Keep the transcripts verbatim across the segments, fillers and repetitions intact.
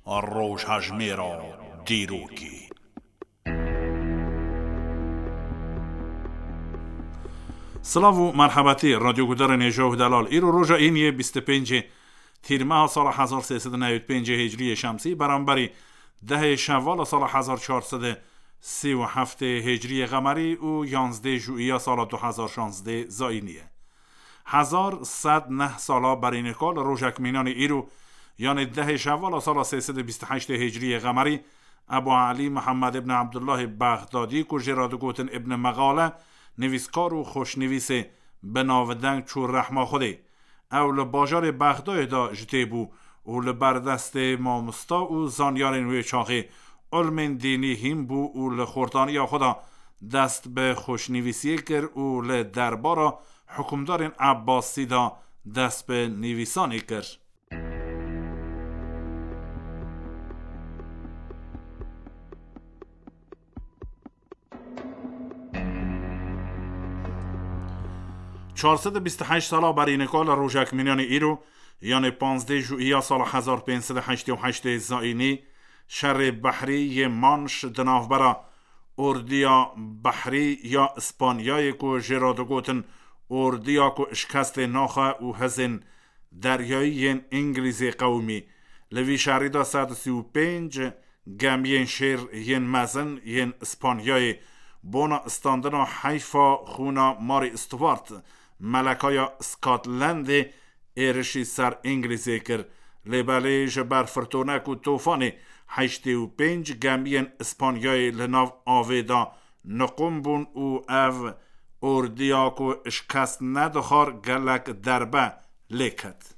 Rojhejmêra dîrokê. Silav û merhebetî, radyo gudarên hêja û delal. Îro roja îniyê bîst û pêncê Tîrmeha sala hezar sê sed û newî û pêncê Hicriyê Şemsî, beramberî dehê Şevala sala hezar çar sed û sî û heftê Hicriyê Qemerî û yanzdê Jûiya sala du hezar şazdê Zayînî ye. Hezar sed neh sala berî nika li rojek mînanî îro, yanê dehê Şevala sala sê sed û bîst û heştê Hicriyê Qemerî, Ebu Elî Mihemed ibn Ebdullahê Bexdadî ku jê re digotin Ibn Mexale, nivîskar û xweşnivîsê bi navdeng çû rehma Xwedê. Ew li bajarê Bexdayê de ji tê bû û li ber destê mamosta û zanyarên wê çaxê ilmên dînî hîn bû û li xortaniya xwe de dest bi xweşnivîsiyê kir û li derbara hikûmdarên Ebbasî de dest bi nivîsanê kir. Çar sed û bîst û heşt sala berî nika li rojek mînanî îro, yanê panzdeh Jûiya sala hezar pênc sed û heştê û heştê Zayînî, şerê behrî yê Manş di navbera ordiya behrî ya Îspanyayê ku jê re digotin ordiya ku şikestê naxe û hizên deryayî yên Îngilîzê qewimî. Li vî şerî de sed û sî û pênc gemiyên şêr yên mezin yên Îspanyayê bona standina heyfa xûna Mary Stuart, melekaya Scotlandê, êrişî ser Îngilîzê kir. Lê belê ji ber firtonek û tofanê heştê û pênc gemiyên Îspanyayê li nav avê de niqûm bûn û ev ordiya ku şikest nedixwar gelek derbe lê ket.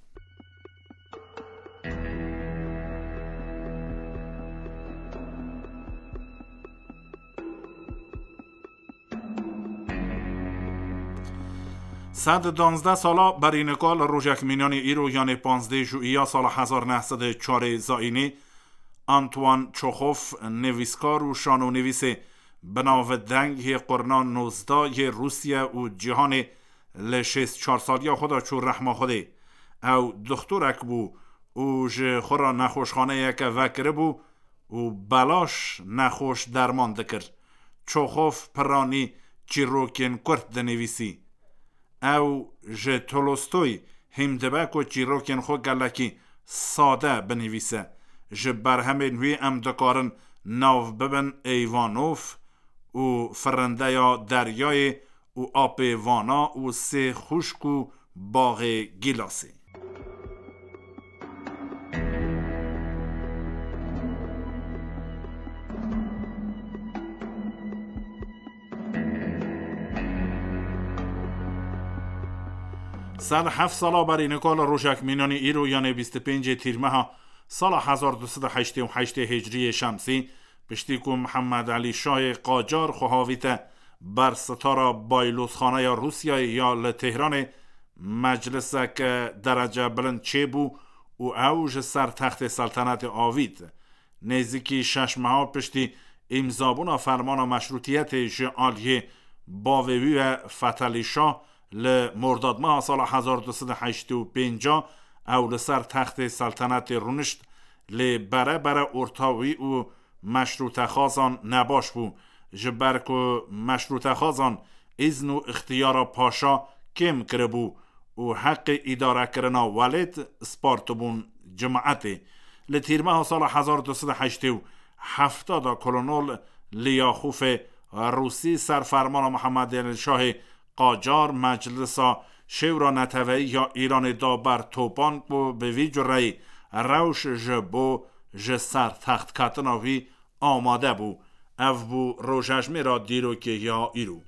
Sed û danzdeh sala berî nika li rojek mînanî îro, yanê panzdeh Jûiya sala hezar neh sed û çarê Zayînî, Antoine Çexov, nivîskar û şanonivîsê bi nav deng yê qurna nozdeh yê Rûsya û cîhanê, li şêst çar saliya xwe de çû rehma Xwedê. Ew doxtorek bû û ji xwe re nexweşxaneyeke vekiribû û belaş nexweş derman dikir. Çexov piranî çîrokên kurt dinivîsî. Ew ji Tolstoy hîm dibe ku çîrokên xwe gelekî sade binivîse. Ji berhemên wî em dikarin nav bibin Eyvanov û Firindeya Deryayê û Apê Vana û Sê Xwişk û Baxê Gîlasê. Sed heft sala berî nika li rojek mînanî îro, yanê bîst û pêncê Tîrmeha sala hezar du sed û heştê û heştê Hicriyê Şemsî, piştî ku Mihemed Elî Şahê Qacar xwe havîte ber sitara Baylozxaneya Rûsyayê ya li Tehranê, mecliseke derece bilind çêbû û ew ji ser textê seltenetê avît. Nêzîkî şeş meha piştî îmzabûna fermana meşrûtiyetê ji aliyê bavê wî ve Fetelî Şah, li Mordadmeha sala hezar du sed û heştê û pênc ew li ser textê seltenetê rûnişt, lê bere bere orta wî û meşrûtexwazan nebaş bû, ji ber ku meşrûtexwazan îzn û ixtiyara paşa kêm kiribû û heqê îdarekirina welêt spartibûn cimaetê. Li Tîrmeha sala hezar du sed û heştê û heft de kolonel Liyaxûfê Rûsî ser fermana Mihemed Elî Şahê Qacar Meclisa Şêwra Neteweyî ya Îranê da ber topan ku bi vî cureyî rewş ji bo ji ser textketina wî amade bû. Ev bû rojejmêra dîrokê ya îro.